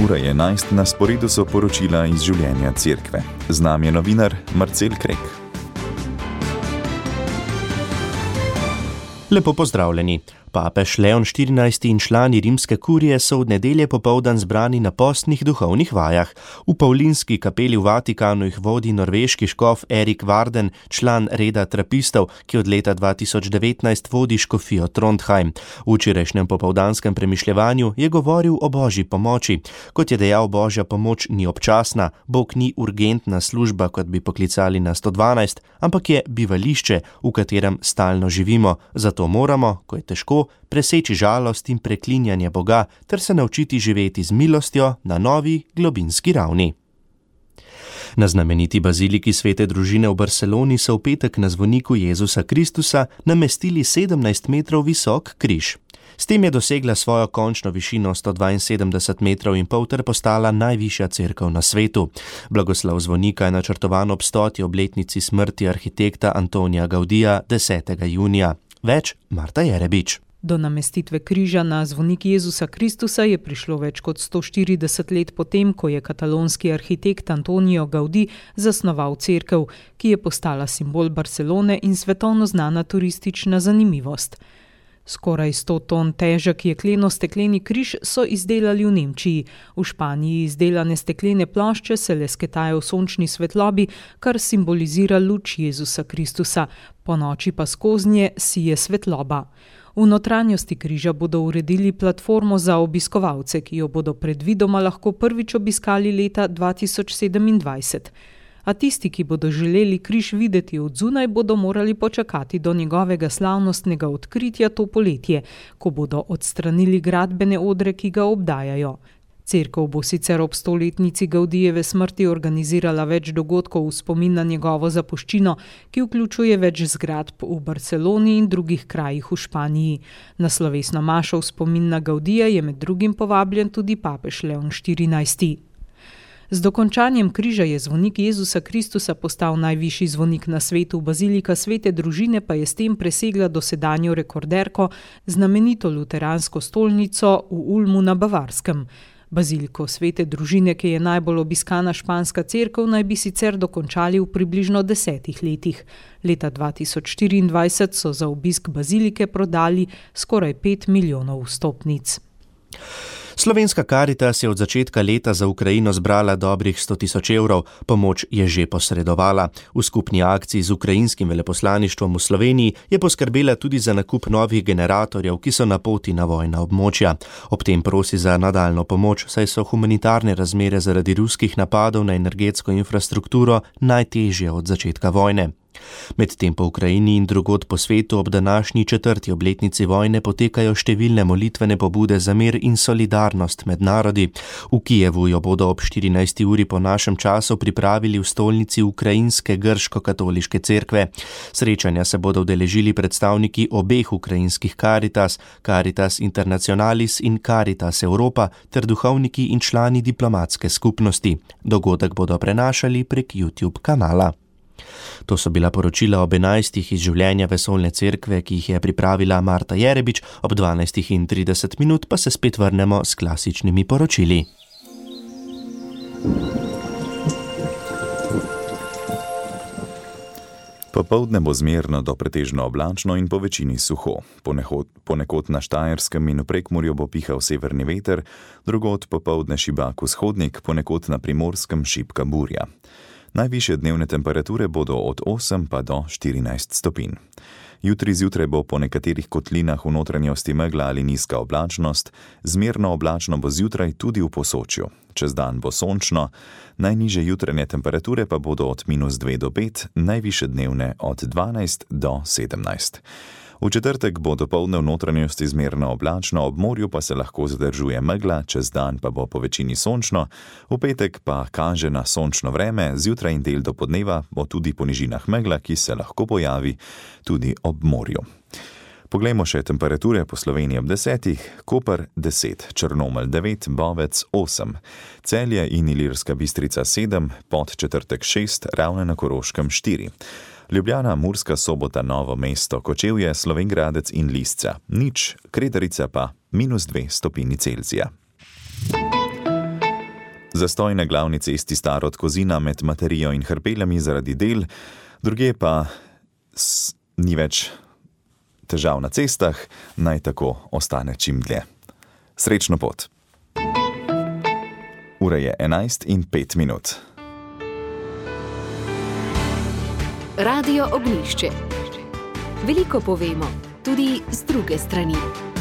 Ura je 11, na sporedu so poročila iz življenja cerkve. Z nami je novinar Marcel Krek. Lepo pozdravljeni. Papež Leon XIV in člani rimske kurije so od nedelje popoldan zbrani na postnih duhovnih vajah. V Paulinski kapeli v Vatikanu jih vodi norveški škof Erik Varden, član reda trapistov, ki od leta 2019 vodi škofijo Trondheim. V včerajšnjem popoldanskem premišljevanju je govoril o božji pomoči. Kot je dejal, božja pomoč ni občasna, Bog ni urgentna služba, kot bi poklicali na 112, ampak je bivališče, v katerem stalno živimo. Zato moramo, ko je težko, preseči žalost in preklinjanje Boga ter se naučiti živeti z milostjo na novi globinski ravni. Na znameniti baziliki Svete družine v Barceloni so v petek na zvoniku Jezusa Kristusa namestili 17 metrov visok križ. S tem je dosegla svojo končno višino 172 metrov in pol ter postala najvišja cerkev na svetu. Blagoslov zvonika je načrtovan ob 100. obletnici smrti arhitekta Antonija Gaudija 10. junija. Več Marta Jerebič. Do namestitve križa na zvonik Jezusa Kristusa je prišlo več kot 140 let potem, ko je katalonski arhitekt Antonio Gaudí zasnoval cerkev, ki je postala simbol Barcelone in svetovno znana turistična zanimivost. Skoraj 100 ton težek jekleno-stekleni križ so izdelali v Nemčiji. V Španiji izdelane steklene plošče se lesketajo v sončni svetlobi, kar simbolizira luč Jezusa Kristusa. Ponoči pa skoznje sije svetloba. V notranjosti križa bodo uredili platformo za obiskovalce, ki jo bodo predvidoma lahko prvič obiskali leta 2027. A tisti, ki bodo želeli križ videti od zunaj, bodo morali počakati do njegovega slavnostnega odkritja to poletje, ko bodo odstranili gradbene odre, ki ga obdajajo. Cerkev bo sicer ob 100-letnici Gaudijeve smrti organizirala več dogodkov v spomin na njegovo zapuščino, ki vključuje več zgradb v Barceloni in drugih krajih v Španiji. Na slovesno mašo v spomin na Gaudija je med drugim povabljen tudi papež Leon XIV. Z dokončanjem križa je zvonik Jezusa Kristusa postal najvišji zvonik na svetu, bazilika Svete družine pa je s tem presegla dosedanjo rekorderko, znamenito luteransko stolnico v Ulmu na Bavarskem. Baziliko Svete družine, ki je najbolj obiskana španska cerkev, naj bi sicer dokončali v približno 10 letih. Leta 2024 so za obisk bazilike prodali skoraj 5 milijonov vstopnic. Slovenska Karitas je od začetka leta za Ukrajino zbrala dobrih 100.000 evrov, pomoč je že posredovala. V skupni akciji z ukrajinskim veleposlaništvom v Sloveniji je poskrbela tudi za nakup novih generatorjev, ki so na poti na vojna območja. Ob tem prosi za nadaljno pomoč, saj so humanitarne razmere zaradi ruskih napadov na energetsko infrastrukturo najtežje od začetka vojne. Medtem po Ukrajini in drugod po svetu ob današnji 4. obletnici vojne potekajo številne molitvene pobude za mir in solidarnost med narodi. V Kijevu jo bodo ob 14. uri po našem času pripravili v stolnici ukrajinske grško-katoliške cerkve. Srečanja se bodo udeležili predstavniki obeh ukrajinskih Karitas, Caritas Internationalis in Caritas Europa ter duhovniki in člani diplomatske skupnosti. Dogodek bodo prenašali prek YouTube kanala. To so bila poročila ob 11. iz življenja vesoljne cerkve, ki jih je pripravila Marta Jerebič, ob 12:30 pa se spet vrnemo s klasičnimi poročili. Popoldne bo zmerno do pretežno oblačno in po večini suho. Ponekod na Štajerskem in v Prekmurju bo pihal severni veter, drugod popoldne šibak vzhodnik, ponekod na Primorskem šibka burja. Najvišje dnevne temperature bodo od 8 pa do 14 stopinj. Jutri zjutraj bo po nekaterih kotlinah v notranjosti megla ali nizka oblačnost, zmerno oblačno bo zjutraj tudi v Posočju. Čez dan bo sončno, najnižje jutranje temperature pa bodo od -2 do 5, najvišje dnevne od 12 do 17. V četrtek bo dopoldne v notranjosti zmerno oblačno, ob morju pa se lahko zadržuje megla, čez dan pa bo po večini sončno, v petek pa kaže na sončno vreme, zjutraj in del dopodneva bo tudi po nižinah megla, ki se lahko pojavi tudi ob morju. Poglejmo še temperature po Sloveniji ob 10, Koper 10, Črnomelj 9, Bovec 8, Celje in Ilirska Bistrica 7, Podčetrtek 6, Ravne na Koroškem 4. Ljubljana, Murska Sobota, Novo mesto, Kočevje, Slovenj Gradec in Lisca 0, Kredarica pa -2 stopinji Celzija. Zastoj na glavni cesti Starod Kozina med Materijo in Hrpeljami zaradi del, druge pa ni več težav na cestah, naj tako ostane čim dlje. Srečno pot. Ura je 11:05. Radio Ognjišče. Veliko povemo, tudi z druge strani.